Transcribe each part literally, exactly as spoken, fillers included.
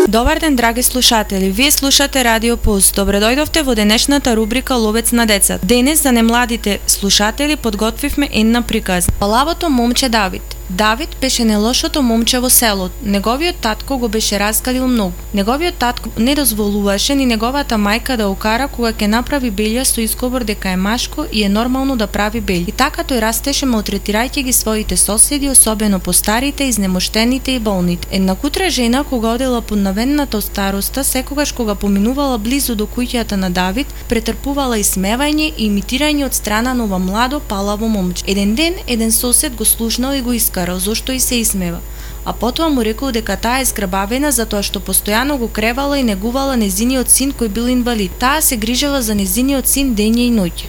Добар ден, драги слушатели. Вие слушате Радио Пулс. Добре дојдовте во денешната рубрика Ловец на деца. Денес за немладите слушатели подготвивме една приказна. Лавото момче Давид. Давид беше нелошото момче во селото. Неговиот татко го беше раскалил многу. Неговиот татко не дозволуваше ни неговата мајка да укара кога ќе направи белја со изговор дека е машко и е нормално да прави белја. И така тој растеше малтретирајќи ги своите соседи, особено постарите, изнемоштените и болните. Една кутра жена кога одела под навенната староста, секогаш кога поминувала близу до куќата на Давид, претрпувала исмевање и имитирање од страна на ова младо палаво момче. Еден ден еден сосед го слушнал и го искал зошто и се исмева, а потоа му рекол дека таа е зграбавена затоа што постојано го кревала и негувала незиниот син кој бил инвалид. Таа се грижала за незиниот син дење и ноќе.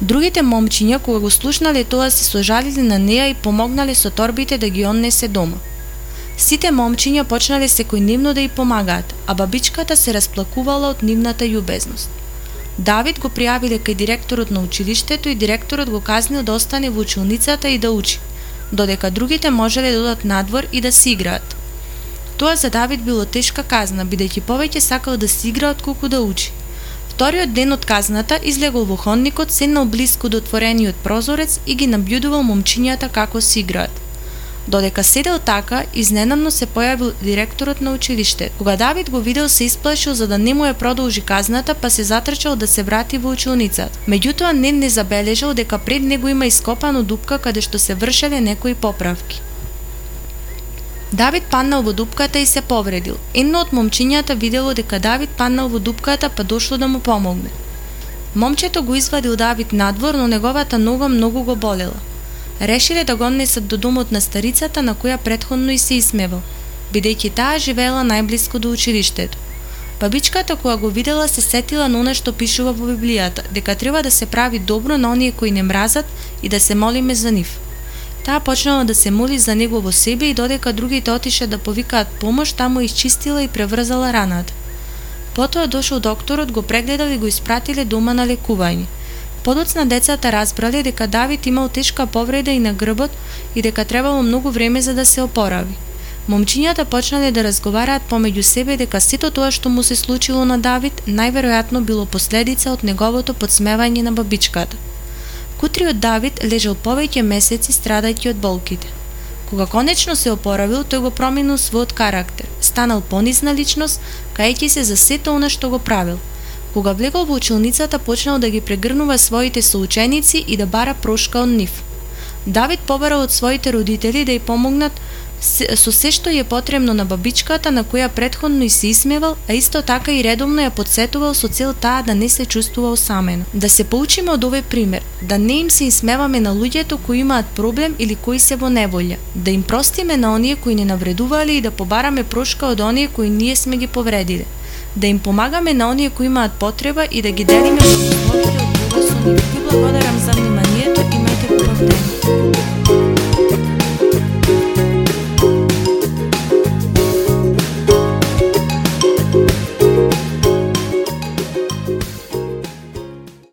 Другите момчиња кога го слушнале тоа се сожалиле на неа и помогнале со торбите да ги однесе дома. Сите момчиња почнале секојдневно да ја помагаат, а бабичката се расплакувала од нивната љубезност. Давид го пријавиле кај директорот на училиштето и директорот го казнил да остане во училницата и да учи, додека другите можеле да одат надвор и да си играат. Тоа за Давид било тешка казна, бидејќи повеќе сакал да си игра отколку да учи. Вториот ден од казната излегол во ходникот, седнал блиску до отворениот прозорец и ги набљудувал момчињата како си играат. Додека седел така, изненадно се појавил директорот на училиштето. Кога Давид го видел, се исплашил за да не му ја продолжи казната, па се затрчал да се врати во училницата. Меѓутоа не не забележал дека пред него има ископано дупка каде што се вршеле некои поправки. Давид паднал во дупката и се повредил. Едно од момчињата видело дека Давид паднал во дупката, па дошло да му помогне. Момчето го извадил Давид надвор, но неговата нога многу го болела. Решиле да го однесат до домот на старицата на која претходно и се исмевал, бидејќи таа живеела најблиску до училиштето. Бабичката кога го видела се сетила на она што пишува во Библијата, дека треба да се прави добро на оние кои не мразат и да се молиме за нив. Таа почнала да се моли за него во себе и додека другите отише да повикаат помош, таму изчистила и преврзала раната. Потоа дошол докторот, го прегледал и го испратиле дома на лекување. Подоцна децата разбрале дека Давид имал тешка повреда и на грбот и дека требало многу време за да се опорави. Момчињата почнале да разговараат помеѓу себе дека сето тоа што му се случило на Давид најверојатно било последица од неговото подсмевање на бабичката. Кутриот Давид лежал повеќе месеци страдајќи од болките. Кога конечно се опоравил, тој го променил својот карактер, станал понизна личност, каејќи се за сето она што го правил. Кога влегол во училницата, почнал да ги прегрнува своите соученици и да бара прошка од нив. Давид побарал од своите родители да ја помогнат со се што е потребно на бабичката на која претходно и се исмевал, а исто така и редовно ја подсетувал со цел таа да не се чувствува осамена. Да се поучиме од овој пример, да не им се исмеваме на луѓето кои имаат проблем или кои се во неволја, да им простиме на оние кои не навредувале и да побараме прошка од оние кои ние сме ги повредиле, да им помагаме на оние кои имаат потреба и да ги делиме во слободите од Бога со нив. Ви благодарам за вниманието, имајте убав ден.